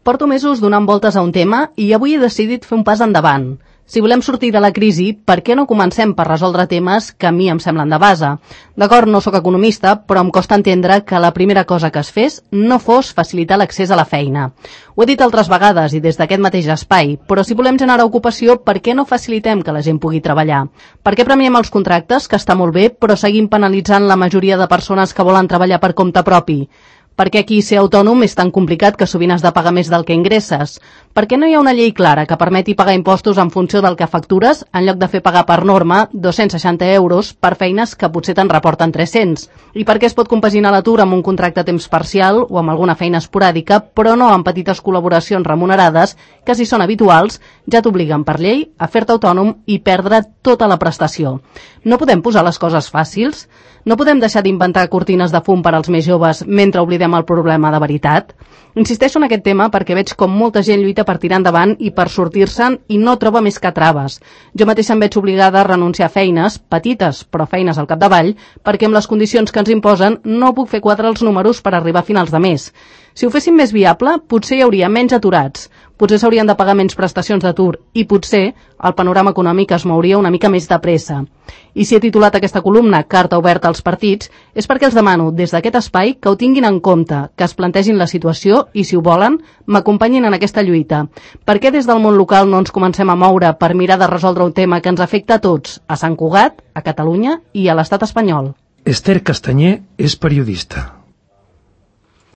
Porto mesos donant voltes a un tema i avui he decidit fer un pas endavant. Si volem sortir de la crisi, per què no comencem per resoldre temes que a mi em semblen de base? D'acord, no sóc economista, però em costa entendre que la primera cosa que es fes no fos facilitar l'accés a la feina. Ho he dit altres vegades i des d'aquest mateix espai, però si volem generar ocupació, per què no facilitem que la gent pugui treballar? Per què premiem els contractes, que està molt bé, però seguim penalitzant la majoria de persones que volen treballar per compte propi? Per què aquí ser autònom és tan complicat que sovint has de pagar més del que ingresses? Per què no hi ha una llei clara que permeti pagar impostos en funció del que factures en lloc de fer pagar per norma 260 euros per feines que potser te'n reporten 300? I per què es pot compaginar l'atur amb un contracte a temps parcial o amb alguna feina esporàdica, però no amb petites col·laboracions remunerades que, si són habituals, ja t'obliguen per llei a fer-te autònom i perdre tota la prestació? No podem posar les coses fàcils? No podem deixar d'inventar cortines de fum per als més joves mentre oblidem el problema de veritat? Insisteixo en aquest tema perquè veig com molta gent lluita per tirar endavant i per sortir-se'n i no troba més que traves. Jo mateixa em veig obligada a renunciar a feines, petites però feines al capdavall, perquè amb les condicions que ens imposen no puc fer quadrar els números per arribar a finals de mes. Si ho féssim més viable, potser hi hauria menys aturats, potser s'haurien de pagar menys prestacions d'atur i potser el panorama econòmic es mouria una mica més de pressa. I si he titulat aquesta columna Carta oberta als partits és perquè els demano des d'aquest espai que ho tinguin en compte, que es plantegin la situació i, si ho volen, m'acompanyin en aquesta lluita. Per què des del món local no ens comencem a moure per mirar de resoldre un tema que ens afecta a tots, a Sant Cugat, a Catalunya i a l'estat espanyol? Esther Castanyer és periodista.